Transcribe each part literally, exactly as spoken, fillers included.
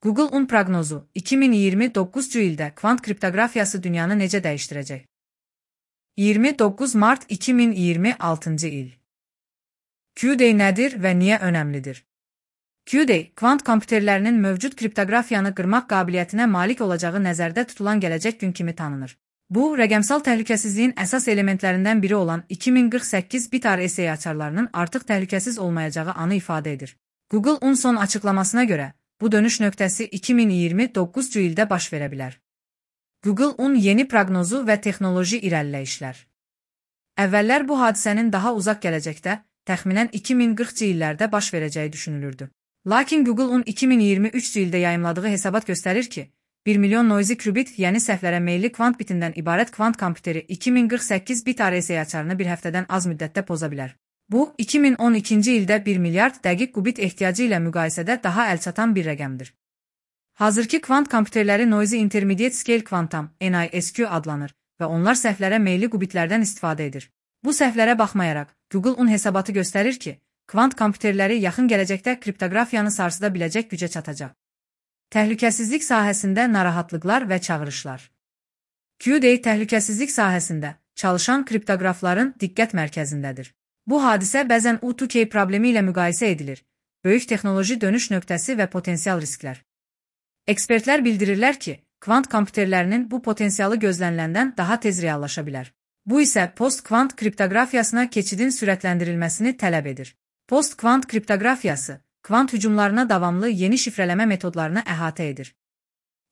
Google-un proqnozu iki min iyirmi doqquzuncu ildə kvant kriptoqrafiyası dünyanı necə dəyişdirəcək? iyirmi doqquz mart iki min iyirmi altıncı il. Q-Day nədir və niyə önəmlidir? Q-Day, kvant kompüterlərinin mövcud kriptoqrafiyanı qırmaq qabiliyyətinə malik olacağı nəzərdə tutulan gələcək gün kimi tanınır. Bu, rəqəmsal təhlükəsizliyin əsas elementlərindən biri olan iki min qırx səkkiz bit R S A açarlarının artıq təhlükəsiz olmayacağı anı ifadə edir. Google-un son açıqlamasına görə, bu dönüş nöqtəsi iki min iyirmi doqquzuncu ildə baş verə bilər. Google-un yeni proqnozu və texnoloji irəliləyişlər. Əvvəllər bu hadisənin daha uzaq gələcəkdə, təxminən iki min qırxıncı illərdə baş verəcəyi düşünülürdü. Lakin Google-un iki min iyirmi üçüncü ildə yayımladığı hesabat göstərir ki, bir milyon noisy qubit, yəni səhvlərə meyilli kvant bitindən ibarət kvant kompüteri iki min qırx səkkiz bit R S A açarını bir həftədən az müddətdə poza bilər. Bu, iki min on ikinci ildə bir milyard dəqiq qubit ehtiyacı ilə müqayisədə daha əlçatan bir rəqəmdir. Hazırki kvant kompüterləri Noisy Intermediate Scale Quantum N I S Q adlanır və onlar səhvlərə meyilli qubitlərdən istifadə edir. Bu səhvlərə baxmayaraq, Google-un hesabatı göstərir ki, kvant kompüterləri yaxın gələcəkdə kriptoqrafiyanı sarsıda biləcək gücə çatacaq. Təhlükəsizlik sahəsində narahatlıqlar və çağırışlar. Q-Day təhlükəsizlik sahəsində çalışan kriptoqrafların diqqət mərkəzindədir. Bu hadisə bəzən U iki K problemi ilə müqayisə edilir, böyük texnoloji dönüş nöqtəsi və potensial risklər. Ekspertlər bildirirlər ki, kvant kompüterlərinin bu potensialı gözləniləndən daha tez reallaşa bilər. Bu isə post-kvant kriptoqrafiyasına keçidin sürətləndirilməsini tələb edir. Post-kvant kriptoqrafiyası, kvant hücumlarına davamlı yeni şifrələmə metodlarını əhatə edir.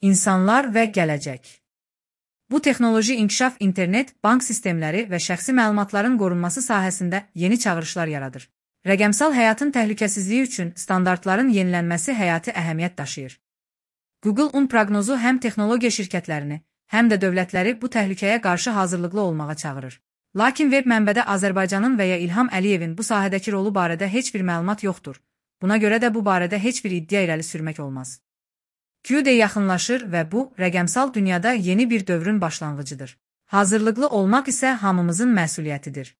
İnsanlar və gələcək. Bu texnoloji inkişaf internet, bank sistemləri və şəxsi məlumatların qorunması sahəsində yeni çağırışlar yaradır. Rəqəmsal həyatın təhlükəsizliyi üçün standartların yenilənməsi həyati əhəmiyyət daşıyır. Google-un proqnozu həm texnologiya şirkətlərini, həm də dövlətləri bu təhlükəyə qarşı hazırlıqlı olmağa çağırır. Lakin veb mənbədə Azərbaycanın və ya İlham Əliyevin bu sahədəki rolu barədə heç bir məlumat yoxdur. Buna görə də bu barədə heç bir iddia irəli sürmək olmaz. Q-Day yaxınlaşır və bu, rəqəmsal dünyada yeni bir dövrün başlanğıcıdır. Hazırlıqlı olmaq isə hamımızın məsuliyyətidir.